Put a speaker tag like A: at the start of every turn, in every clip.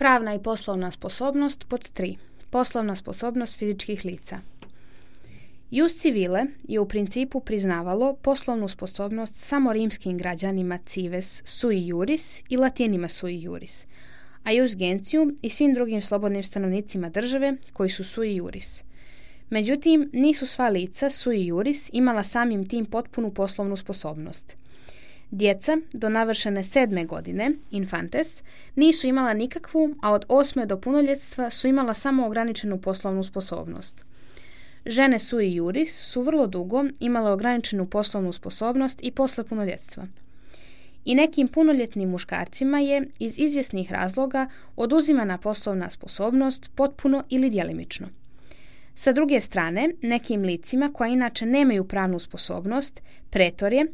A: Pravna i poslovna sposobnost pod 3. Poslovna sposobnost fizičkih lica. Jus civile je u principu priznavalo poslovnu sposobnost samo rimskim građanima cives sui juris i latinima sui juris, a jus gentium i svim drugim slobodnim stanovnicima države koji su sui juris. Međutim, nisu sva lica sui juris imala samim tim potpunu poslovnu sposobnost. Djeca do navršene 7. godine, infantes, nisu imala nikakvu, a od 8. do punoljetstva su imala samo ograničenu poslovnu sposobnost. Žene sui juris su vrlo dugo imale ograničenu poslovnu sposobnost i posle punoljetstva. I nekim punoljetnim muškarcima je iz izvjesnih razloga oduzimana poslovna sposobnost potpuno ili djelimično. Sa druge strane, nekim licima koja inače nemaju pravnu sposobnost, pretor je,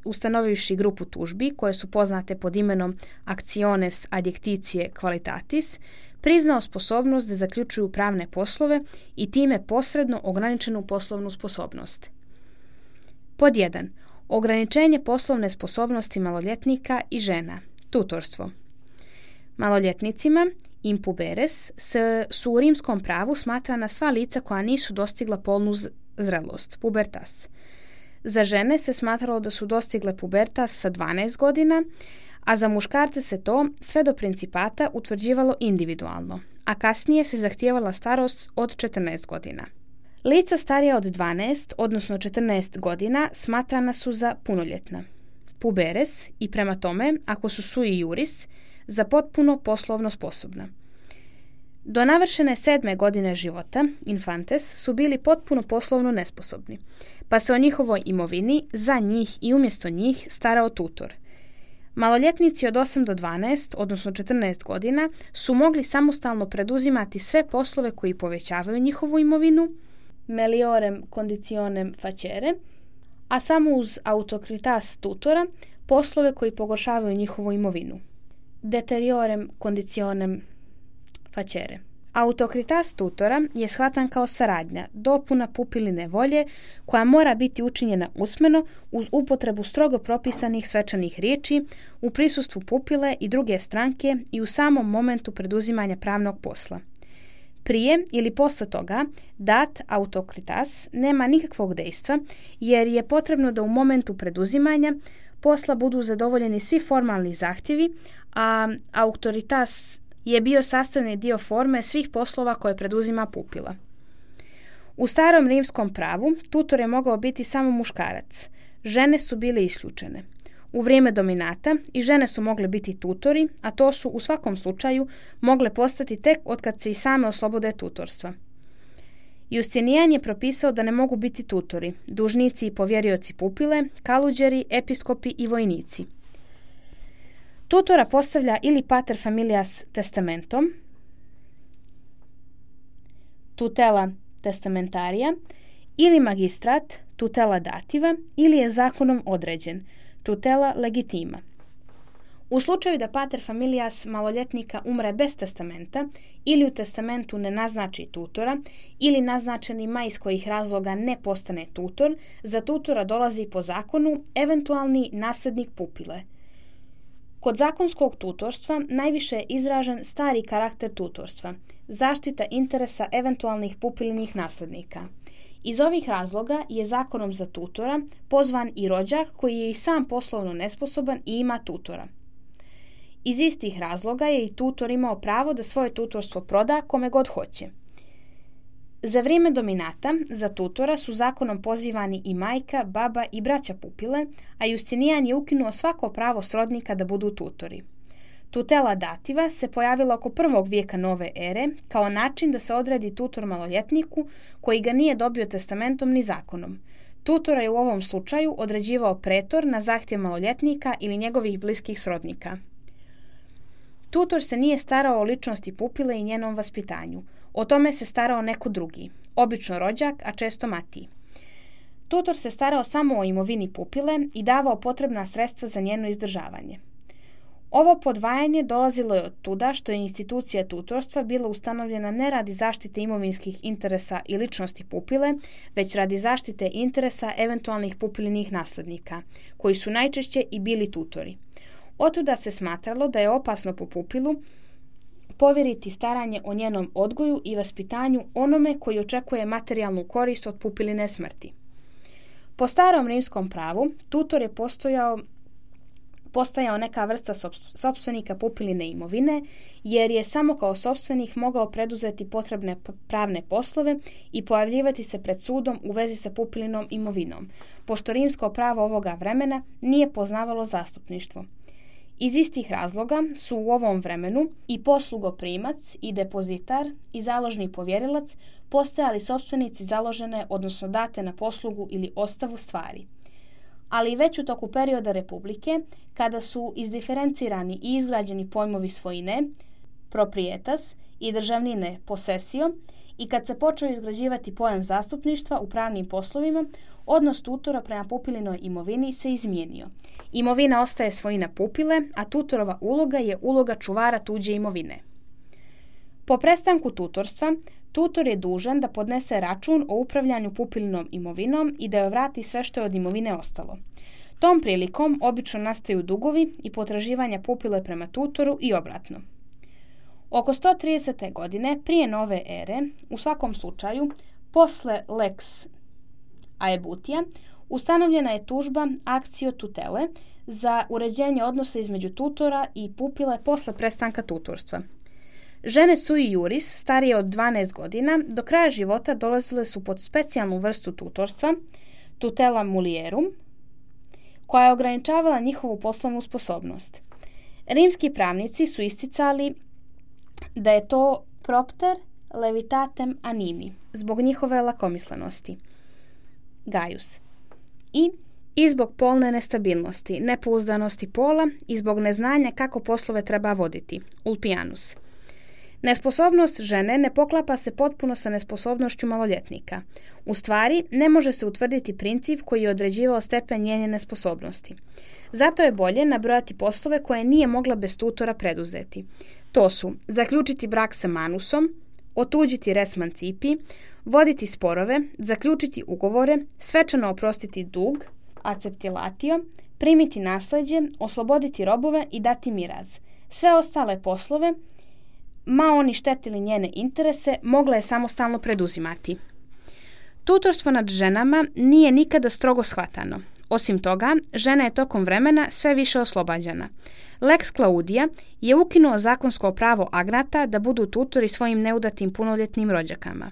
A: ustanovivši grupu tužbi koje su poznate pod imenom actiones adjectitie qualitatis, priznao sposobnost da zaključuju pravne poslove i time posredno ograničenu poslovnu sposobnost. Pod 1. Ograničenje poslovne sposobnosti maloljetnika i žena, tutorstvo. Maloljetnicima, impuberes, su u rimskom pravu smatrana sva lica koja nisu dostigla polnu zrelost, pubertas. Za žene se smatralo da su dostigle pubertas sa 12 godina, a za muškarce se to sve do principata utvrđivalo individualno, a kasnije se zahtijevala starost od 14 godina. Lica starija od 12, odnosno 14 godina, smatrana su za punoljetna, puberes i prema tome, ako su sui juris, za potpuno poslovno sposobna. Do navršene 7. godine života, infantes, su bili potpuno poslovno nesposobni, pa se o njihovoj imovini za njih i umjesto njih starao tutor. Maloljetnici od 8 do 12, odnosno 14 godina, su mogli samostalno preduzimati sve poslove koji povećavaju njihovu imovinu, meliorem conditionem facere, a samo uz autocritas tutora poslove koji pogoršavaju njihovu imovinu, deteriorem conditionem facere. Autocritas tutora je shvatan kao saradnja, dopuna pupiline volje koja mora biti učinjena usmeno uz upotrebu strogo propisanih svečanih riječi u prisustvu pupile i druge stranke i u samom momentu preduzimanja pravnog posla. Prije ili posle toga dat autocritas nema nikakvog dejstva jer je potrebno da u momentu preduzimanja posla budu zadovoljeni svi formalni zahtjevi, a autoritas je bio sastavni dio forme svih poslova koje preduzima pupila. U starom rimskom pravu tutor je mogao biti samo muškarac. Žene su bile isključene. U vrijeme dominata i žene su mogle biti tutori, a to su u svakom slučaju mogle postati tek otkad se i same oslobode tutorstva. Justinijan je propisao da ne mogu biti tutori, dužnici i povjerioci pupile, kaluđeri, episkopi i vojnici. Tutora postavlja ili pater familias testamentom, tutela testamentaria, ili magistrat, tutela dativa, ili je zakonom određen, tutela legitima. U slučaju da pater familias maloljetnika umre bez testamenta ili u testamentu ne naznači tutora ili naznačeni ma iz kojih razloga ne postane tutor, za tutora dolazi po zakonu eventualni nasljednik pupile. Kod zakonskog tutorstva najviše je izražen stari karakter tutorstva, zaštita interesa eventualnih pupilinih nasljednika. Iz ovih razloga je zakonom za tutora pozvan i rođak koji je i sam poslovno nesposoban i ima tutora. Iz istih razloga je i tutor imao pravo da svoje tutorstvo proda kome god hoće. Za vrijeme dominata za tutora su zakonom pozivani i majka, baba i braća pupile, a Justinijan je ukinuo svako pravo srodnika da budu tutori. Tutela dativa se pojavila oko 1. vijeka nove ere kao način da se odredi tutor maloljetniku koji ga nije dobio testamentom ni zakonom. Tutora je u ovom slučaju određivao pretor na zahtjev maloljetnika ili njegovih bliskih srodnika. Tutor se nije starao o ličnosti pupile i njenom vaspitanju. O tome se starao neko drugi, obično rođak, a često matij. Tutor se starao samo o imovini pupile i davao potrebna sredstva za njeno izdržavanje. Ovo podvajanje dolazilo je od tuda što je institucija tutorstva bila ustanovljena ne radi zaštite imovinskih interesa i ličnosti pupile, već radi zaštite interesa eventualnih pupilinih nasljednika, koji su najčešće i bili tutori. Otuda se smatralo da je opasno po pupilu povjeriti staranje o njenom odgoju i vaspitanju onome koji očekuje materijalnu korist od pupiline smrti. Po starom rimskom pravu, tutor je postajao neka vrsta sopstvenika pupiline imovine, jer je samo kao sopstvenik mogao preduzeti potrebne pravne poslove i pojavljivati se pred sudom u vezi sa pupilinom imovinom, pošto rimsko pravo ovoga vremena nije poznavalo zastupništvo. Iz istih razloga su u ovom vremenu i poslugoprimac, i depozitar, i založni povjerilac postajali sopstvenici založene, odnosno date na poslugu ili ostavu stvari. Ali već u toku perioda Republike, kada su izdiferencirani i izgrađeni pojmovi svojine, proprietas, i državnine possessio, i kad se počeo izgrađivati pojam zastupništva u pravnim poslovima, odnos tutora prema pupilinoj imovini se izmijenio. Imovina ostaje svojina pupile, a tutorova uloga je uloga čuvara tuđe imovine. Po prestanku tutorstva, tutor je dužan da podnese račun o upravljanju pupilinom imovinom i da joj vrati sve što je od imovine ostalo. Tom prilikom obično nastaju dugovi i potraživanja pupile prema tutoru i obratno. Oko 130. godine prije nove ere, u svakom slučaju, posle lex aebutia, ustanovljena je tužba actio tutele za uređenje odnosa između tutora i pupile posle prestanka tutorstva. Žene sui juris, starije od 12 godina, do kraja života dolazile su pod specijalnu vrstu tutorstva, tutela mulierum, koja je ograničavala njihovu poslovnu sposobnost. Rimski pravnici su isticali da je to propter levitatem animi, zbog njihove lakomislenosti, Gaius, i zbog polne nestabilnosti, nepouzdanosti pola i zbog neznanja kako poslove treba voditi, Ulpianus. Nesposobnost žene ne poklapa se potpuno sa nesposobnošću maloljetnika. U stvari, ne može se utvrditi princip koji je određivao stepen njene nesposobnosti. Zato je bolje nabrojati poslove koje nije mogla bez tutora preduzeti. To su zaključiti brak sa manusom, otuđiti res mancipi, voditi sporove, zaključiti ugovore, svečano oprostiti dug, acceptilatio, primiti nasleđe, osloboditi robove i dati miraz. Sve ostale poslove, ma oni štetili njene interese, mogla je samostalno preduzimati. Tutorstvo nad ženama nije nikada strogo shvatano. Osim toga, žena je tokom vremena sve više oslobađana. Lex Claudia je ukinuo zakonsko pravo agnata da budu tutori svojim neudatim punoljetnim rođakama.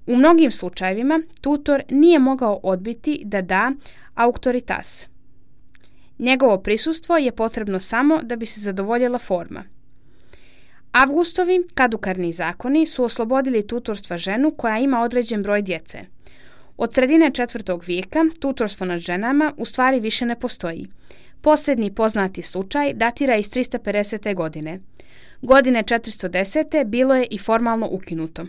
A: U mnogim slučajevima tutor nije mogao odbiti da da auctoritas. Njegovo prisustvo je potrebno samo da bi se zadovoljila forma. Avgustovi kadukarni zakoni su oslobodili tutorstva ženu koja ima određen broj djece. Od sredine 4. vijeka tutorstvo nad ženama u stvari više ne postoji. Posljednji poznati slučaj datira iz 350. godine. Godine 410. bilo je i formalno ukinuto.